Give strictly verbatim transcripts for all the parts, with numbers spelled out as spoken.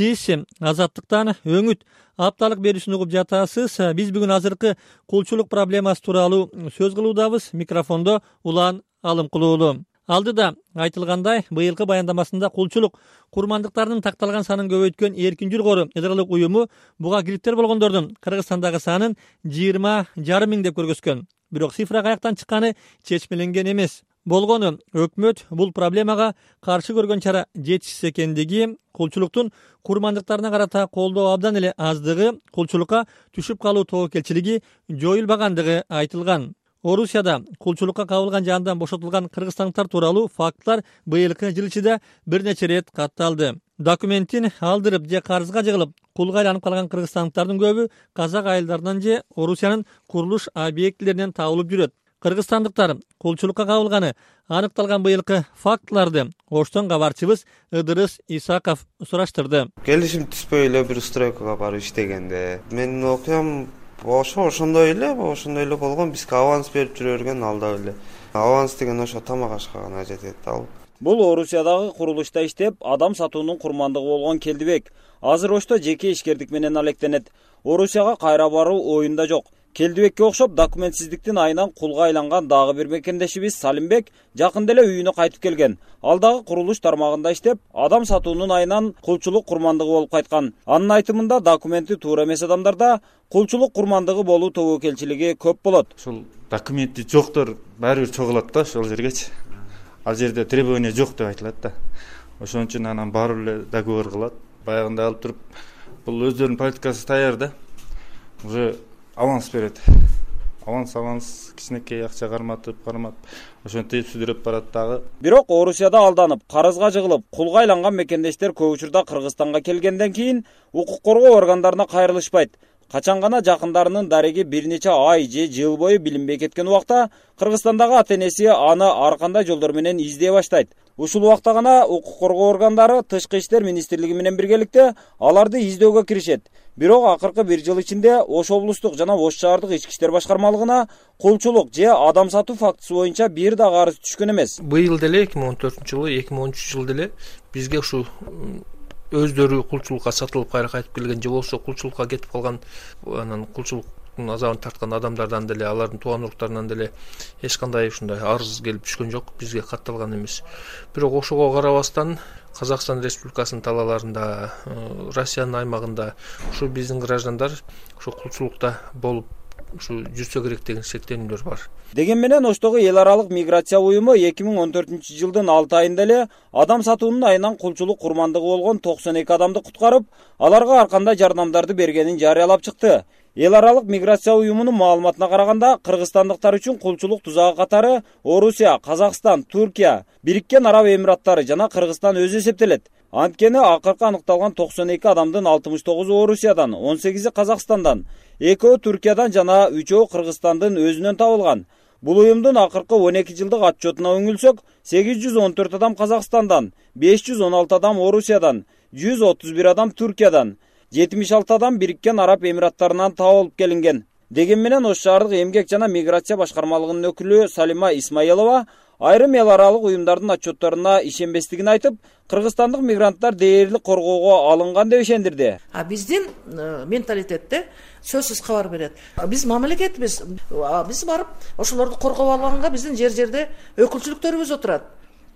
Сиз Азаттыктан өңүт апталык берүүсүн угуп жатасыз. Биз бүгүн азыркы кулчулук проблемасы тууралуу сөз кылуудабыз. Микрофондо Улан Алымкулуулу. Алдыда айтылгандай, быйылкы баяндамасында кулчулук курмандыктарынын такталган санын көбөйткөн Эркин Жургору ыдырылык уюму буга килиптер болгондордун Кыргызстандагы санын жыйырма жарым миң деп көргөзгөн. Бирок цифра каяктан чыкканы чечмеленген эмес. Болгону өкмөт бул проблемага каршы көргөн чара жетишсиз экендиги, кулчулуктун курмандыктарына карата колдоо абдан эле аздыгы, кулчулукка түшүп калуу тобокелчилиги жоюлбагандыгы айтылган. Орусияда кулчулукка кабылган же андан бошотулган кыргызстандыктар тууралуу фактылар быйылкы жыл ичинде бир нече ирет катталды. Документин алдырып же карызга жыгылып кулга айланып калган кыргызстандыктардын көбү казак айылдарынан же Орусиянын курулуш объектилеринен табылып жүрөт. Кыргызстандыктар кулчулукка кабылганы аныкталган быйылкы фактыларды Оштон кабарчыбыз Ыдырыс Исаков сураштырды. Келишим түспөй эле бир стройкага барып иштегенде менин окуям ошо ошондой эле, ошондой эле болгон. Бизге аванс берип жүрө берген алда эле. Аванс деген ошо тамак ашка гана жетет ал. Бул Орусиядагы курулушта иштеп, адам сатуунун курмандыгы болгон Келдибек азыр Ошто жеке ишкердик менен алектенет. Орусияга кайра баруу оюнда жок. Келдибекке окшоп документсиздиктин айынан кулга айланган дагы бир мекендешибиз Салимбек жакында эле үйүнө кайтып келген. Ал дагы курулуш тармагында иштеп, адам сатуунун айынан кулчулук курмандыгы болуп кайткан. Анын айтымында документи туура эмес адамдарда кулчулук курмандыгы болуу тобокелчилиги көп болот. Ушул документи жоктор баары бир чогулат да ошол жергечи. Ал жерде требование жок деп айтылат да. Ошон үчүн анан барып эле договор кылат. Баягында алып туруп бул өздөрүнүн политикасы даяр да. Уже аванс берет. Аванс аванс кичинекей акча карматып, карматып, ошентип сүдүрөп барат дагы. Бирок Орусияда алданып, карызга жыгылып, кулга айланган мекендештер көп учурда Кыргызстанга келгенден кийин укук коргоо органдарына кайрылышпайт. Качан гана жакындарынын дареги бир нече ай же жыл бою билинбей кеткен убакта Кыргызстандагы ата-энеси аны ар кандай жолдор менен издей баштайт. Ушул убакта гана укук коргоо органдары Тышкы иштер министрлиги менен биргеликте аларды издөөгө киришет. Бирок акыркы бир жыл ичинде Ош облустук жана Ош шаардык ички иштер башкармалыгына кулчулук же адам сатуу фактысы боюнча бир да арыз түшкөн эмес. Быйыл деле эки миң он төртүнчү жылы, эки миң он үчүнчү жылы деле бизге ушул өздөрү кулчулукка сатылып кайра кайтып келген же болбосо кулчулукка кетип калган, анан кулчулуктун азабын тарткан адамдардан деле, алардын тууган уруктарынан деле эч кандай ушундай арыз келип түшкөн жок, бизге катталган эмес. Бирок ошого карабастан Казакстан Республикасынын талааларында, Россиянын аймагында ушу биздин граждандар ушу кулчулукта болуп ушу жүрсө керек деген шектенүүлөр бар. Деген менен Оштогу эл аралык миграция уюму эки миң он төртүнчү жылдын алты айында эле адам сатуунун айынан кулчулук курмандыгы болгон токсон эки адамды куткарып, аларга ар кандай жардамдарды бергенин жарыялап чыкты. Эл аралык миграция уюмунун маалыматына караганда, кыргызстандыктар үчүн кулчулук тузагы катары Орусия, Казакстан, Түркия, Бириккен Араб Эмираттары жана Кыргызстан өзү эсептелет. Анткени акыркы аныкталган токсон эки адамдын алтымыш тогузу Орусиядан, он сегизи Казакстандан, экөө Түркиядан жана үчөө Кыргызстандын өзүнөн табылган. Бул уюмдун акыркы он эки жылдык отчетуна үңүлсөк, сегиз жүз он төрт адам Казакстандан, беш жүз он алты адам Орусиядан, жүз отуз бир адам Түркиядан, жетимиш алты адам Бириккен Араб Эмираттарынан табылып келинген. Деген менен Ош шаардык эмгек жана миграция башкармалыгынын өкүлү Салима Исмаилова айрым эл аралык уюмдардын отчетторуна ишенбестигин айтып, кыргызстандык мигранттар дээрлик коргоого алынган деп ишендирди. А биздин менталитетте сөзсүз кабар берет. Биз мамлекетбиз. Биз барып ошолорду коргоп алганга биздин жер жерде өкүлчүлүктөрүбүз отурат.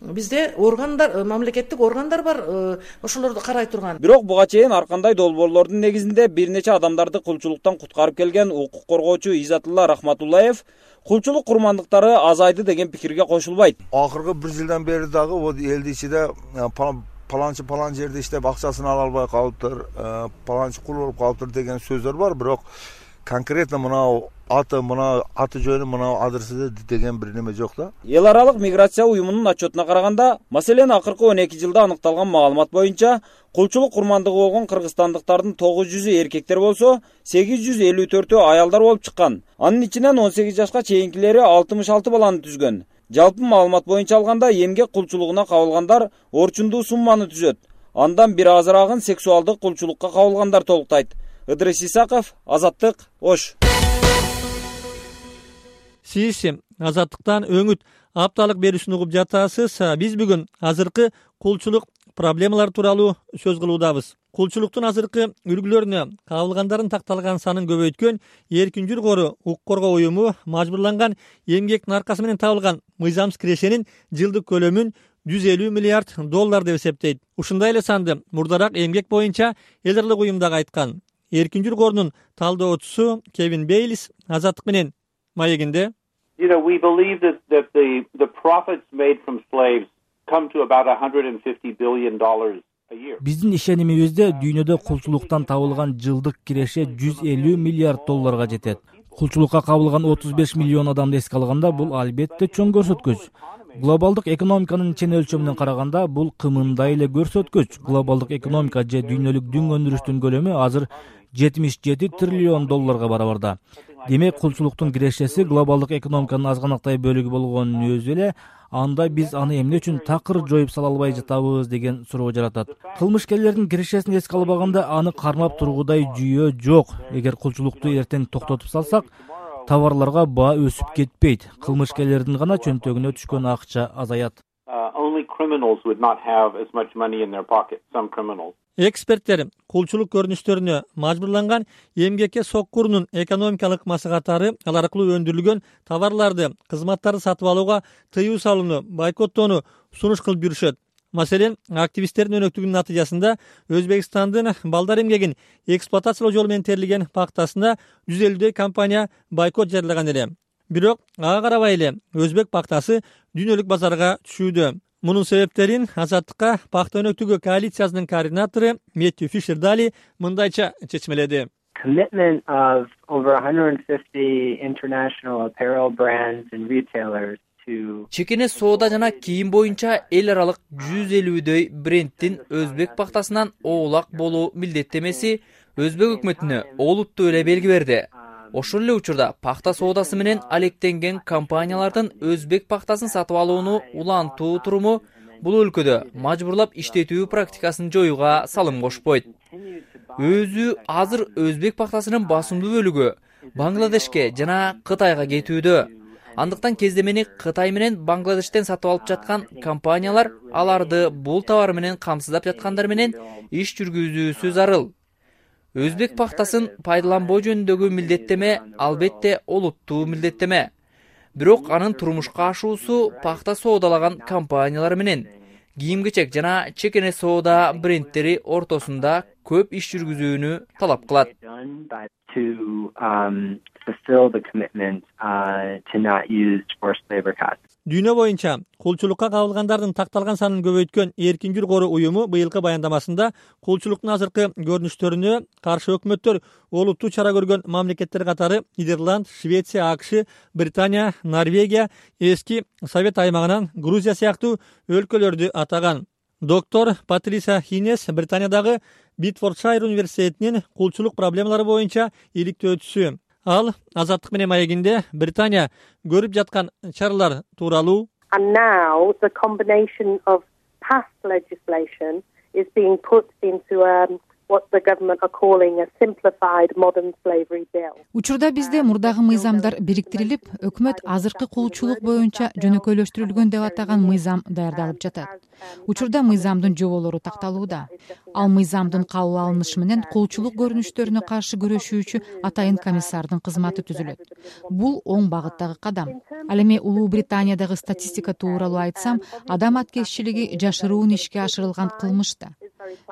Бизде органдар, мамлекеттик органдар бар, ошолорду карай турган. Бирок буга чейин ар кандай долбоорлордун негизинде бир нече адамдарды кулчулуктан куткарып келген укук коргоочу Изатулла Рахматуллаев кулчулук курмандыктары азайды деген пикирге кошулбайт. Акыркы бир жылдан бери дагы вот элдин ичинде паланчы палан жерде иштеп акчасын ала албай калыптыр, паланчы кул болуп калыптыр деген сөздөр бар, бирок конкретно мына аты мына аты жөнү мына адресиде деген бир неме жок да. Эл аралык миграция уюмунун отчетуна караганда, маселен акыркы он эки жылда аныкталган маалымат боюнча кулчулук курмандыгы болгон кыргызстандыктардын тогуз жүзү эркектер болсо, сегиз жүз элүү төртү аялдар болуп чыккан. Анын ичинен он сегиз жашка чейинкилери алтымыш алты баланы түзгөн. Жалпы маалымат боюнча алганда эмгек кулчулугуна кабылгандар орчундуу сумманы түзөт. Андан бир азырагын сексуалдык кулчулукка кабылгандар толуктайт. Ыдырыс Исаков, Азаттык, Ош. Сиз Азаттыктан өңүт апталык берүүсүн угуп жатасыз. Биз бүгүн азыркы кулчулук проблемалар тууралуу сөз кылуудабыз. Кулчулуктун азыркы үлгүлөрүнө кабылгандардын такталган санын көбөйткөн Эркин Жүр кору укук коргоо уюму мажбурланган эмгектин аркасы менен табылган мыйзамсыз кирешенин жылдык көлөмүн жүз элүү миллиард доллар деп эсептейт. Ушундай эле санды мурдараак эмгек боюнча эл аралык уюм дагы айткан. Эркин Жүр корунун талдоочусу Кевин Бейлис Азаттык менен маегинде You know, we believe that, that the, the profits made from slaves come to about one hundred fifty billion dollars a year. Биздин ишенимибизде дүйнөдө кулчулуктан табылган жылдык киреше жүз элүү миллиард долларга жетет. Кулчулукка кабылган отуз беш миллион адамды эске алганда бул албетте чоң көрсөткүч. Глобалдык экономиканын чен өлчөмүнөн караганда бул кымындай эле көрсөткүч. Глобалдык экономика же дүйнөлүк дүң өндүрүштүн көлөмү азыр жетимиш жети триллион долларга барабарда. Демек, кулчулуктун кирешеси глобалдык экономиканын азганактай бөлүгү болгонун өзү эле анда биз аны эмне үчүн такыр жоюп сала албай жатабыз деген суроо жаратат. Кылмышкерлердин кирешесин эске албаганда аны кармап тургудай жүйө жок. Эгер кулчулукту эртең токтотуп салсак, товарларга баа өсүп кетпейт. Кылмышкерлердин гана чөнтөгүнө түшкөн акча азаят. Эксперттер кулчулук көрүнүштөрүнө мажбурланган эмгекке соккурунун экономикалык маслахаттары ал аркылуу өндүрүлгөн товарларды, кызматтарды сатып алууга тыюу салууну, бойкоттоону сунуш кылып жүрүшөт. Маселен, активисттердин өнөктүгүнүн натыйжасында Өзбекстандын балдар эмгегин эксплуатациялоо жолу менен терилген пактасына жүз элүүдөй компания бойкот жарыялаган эле. Бирок ага карабай эле өзбек пактасы дүйнөлүк базарга түшүүдө. Мунун себептерин Азаттыкка пакта өнөктүгү коалициясынын координатору Мэттью Фишер Дали мындайча чечмеледи. Commitment of over one hundred fifty international apparel brands and retailers to Чекене соода жана кийим боюнча эл аралык жүз элүүдөй брендтин өзбек пактасынан оолак болуу милдеттемеси өзбек өкмөтүнө олуттуу эле белги берди. Ошол эле учурда пакта соодасы менен алектенген компаниялардын өзбек пактасын сатып алууну улантуу туруму бул өлкөдө мажбурлап иштетүү практикасын жоюуга салым кошпойт. Өзү азыр өзбек пактасынын басымдуу бөлүгү Бангладешке жана Кытайга кетүүдө. Андыктан кездемени Кытай менен Бангладештен сатып алып жаткан компаниялар аларды бул товар менен камсыздап жаткандар менен иш жүргүзүүсү зарыл. Өзбек пактасын пайдаланбоо жөнүндөгү милдеттеме албетте олуттуу милдеттеме. Бирок анын турмушка ашуусу пакта соодалаган компаниялар менен кийим-кечек жана чекене соода брендтери ортосунда көп иш жүргүзүүнү талап кылат. Дүйнө боюнча кулчулукка кабылгандардын такталган санын көбөйткөн Эркин Жүр кору уюму быйылкы баяндамасында кулчулуктун азыркы көрүнүштөрүнө каршы өкмөттөр олуттуу чара көргөн мамлекеттер катары Нидерланд, Швеция, АКШ, Британия, Норвегия, эски Совет аймагынан Грузия сыяктуу өлкөлөрдү атаган. Доктор Патрисия Хинес Британиядагы Битфордшайр университетинин кулчулук проблемалары боюнча иликтөөчүсү. Ал Азаттык менен маегинде Британия көрүп жаткан чаралар тууралуу And now the combination of past legislation is being put into um, what the government are calling a simplified modern slavery bill. Учурда бизде мурдагы мыйзамдар бириктирилип, өкмөт азыркы кулчулук боюнча жөнөкөйлөштүрүлгөн деп атаган мыйзам даярдалып жатат. Учурда мыйзамдын жоболору такталууда. Ал мыйзамдын кабыл алынышы менен кулчулук көрүнүштөрүнө каршы күрөшүүчү атайын комиссардын кызматы түзүлөт. Бул оң багыттагы кадам. Ал эми Улуу Британиядагы статистика тууралуу айтсам, адам аткезчилиги жашыруун ишке ашырылган кылмыш да.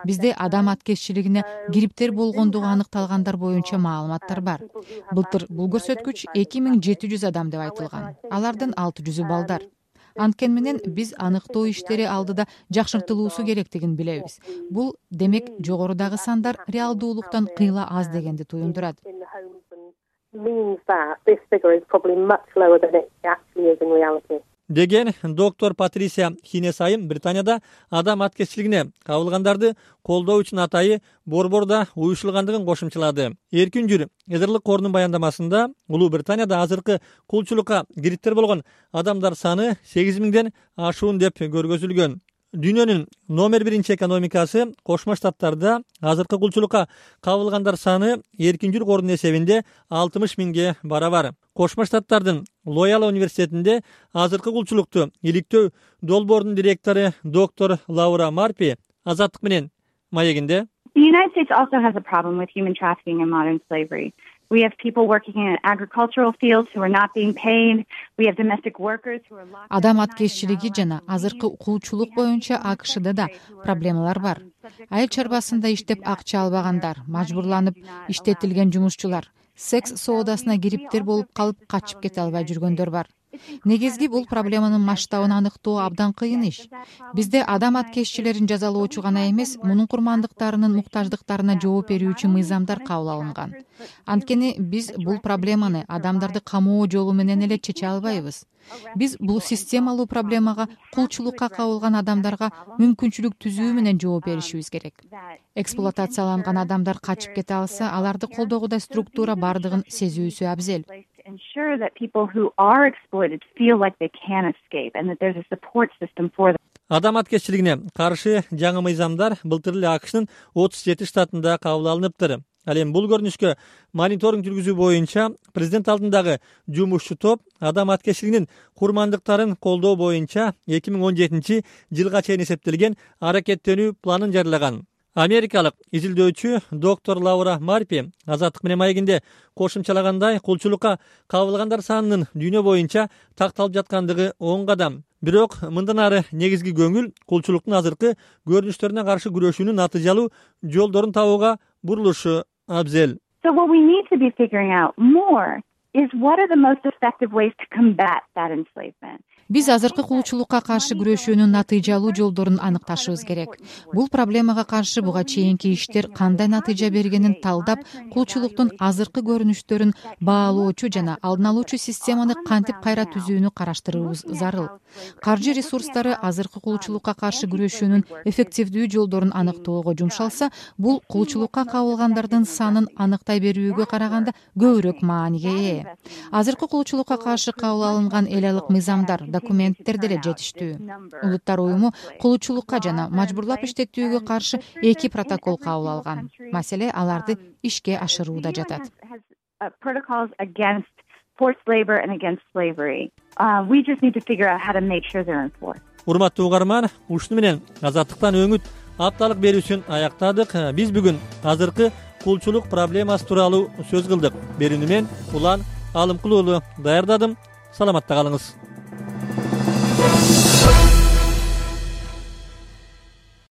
Бизде адам аткезчилигине кириптер болгондугу аныкталгандар боюнча маалыматтар бар. Былтыр бул көрсөткүч эки миң жети жүз адам деп айтылган. Алардын алты жүзү балдар. Анткени менен биз аныктоо иштери алдыда жакшыртылуусу керектигин билебиз. Бул демек жогорудагы сандар реалдуулуктан кыйла аз дегенди туюндурат. Деген доктор Патрисия Хинес айым Британияда адам аткезчилигине кабылгандарды колдоо үчүн атайы борборда уюшулгандыгын кошумчалады. Эркин Жүр Эдерлик корунун баяндамасында Улуу Британияда азыркы кулчулукка кириптер болгон адамдар саны сегиз миңден ашуун деп көргөзүлгөн. Дүйнөнүн номер биринчи экономикасы Кошмо Штаттарда азыркы кулчулукка кабылгандар саны Эркин Жүр корунун эсебинде алтымыш миңге барабар. Кошмо Штаттардын Лояла университетинде азыркы кулчулукту иликтөө долбоорунун директору доктор Лаура Марпи Азаттык менен маегинде. The United States also has a problem with human trafficking and modern slavery. We have people working in agricultural fields who are not being paid. We have domestic workers who are locked. Адам аткезчилиги жана азыркы кулчулук боюнча АКШда да проблемалар бар. Айыл чарбасында иштеп акча албагандар, мажбурланып иштетилген жумушчулар, секс соодасына кириптер болуп калып качып кете албай жүргөндөр бар. Негизги бул проблеманын масштабын аныктоо абдан кыйын иш. Бизде адам аткезчилерин жазалоочу гана эмес, мунун курмандыктарынын муктаждыктарына жооп берүүчү мыйзамдар кабыл алынган. Анткени биз бул проблеманы адамдарды камоо жолу менен эле чече албайбыз. Биз бул системалуу проблемага кулчулукка кабылган адамдарга мүмкүнчүлүк түзүү менен жооп беришибиз керек. Эксплуатацияланган адамдар качып кете алса, аларды колдогудай структура бардыгын сезүүсү абзел. Ensure that people who are exploited feel like they can escape and that there's a support system for them. Адам аткезчилигине каршы жаңы мыйзамдар былтыр эле АКШнын отуз жети штатында кабыл алыныптыр. Ал эми бул көрүнүшкө мониторинг жүргүзүү боюнча президент алдындагы жумушчу топ адам аткезчилигинин курмандыктарын колдоо боюнча эки миң он жетинчи жылга чейин эсептелген аракеттенүү планын жарыяган. Америкалык изилдөөчү доктор Лаура Марпи Азаттык менен маегинде кошумчалагандай, кулчулукка кабылгандар санынын дүйнө боюнча такталып жаткандыгы оң кадам. Бирок мындан ары негизги көңүл кулчулуктун азыркы көрүнүштөрүнө каршы күрөшүүнүн натыйжалуу жолдорун табууга бурулушу абзел. So what we need to be figuring out more is what are the most effective ways to combat that enslavement. Биз азыркы кулчулукка каршы күрөшүүнүн натыйжалуу жолдорун аныкташыбыз керек. Бул проблемага каршы буга чейинки иштер кандай натыйжа бергенин талдап, кулчулуктун азыркы көрүнүштөрүн баалоочу жана алдын алуучу системаны кантип кайра түзүүнү караштырууыбыз зарыл. Каржы ресурстары азыркы кулчулукка каршы күрөшүүнүн эффективдүү жолдорун аныктоого жумшалса, бул кулчулукка кабылгандардын санын аныктай берүүгө караганда көбүрөөк мааниге ээ. Азыркы кулчулукка каршы кабыл алынган эл алык мыйзамдар, документтер деле жетиштүү. Улуттар уюму кулчулукка жана мажбурлап иштетүүгө каршы эки протокол кабыл алган. Маселе аларды ишке ашырууда жатат. Protocols against forced labor and against slavery. Uh, we just need to figure out how to make sure they're enforced. Урматтуу угарман, ушуну менен Азаттыктан өңүт апталык берүүсүн аяктадык. Биз бүгүн азыркы кулчулук проблемасы тууралуу сөз кылдык. Берүүнү мен Улан Алымкулуу даярдадым. Саламатта калыңыз.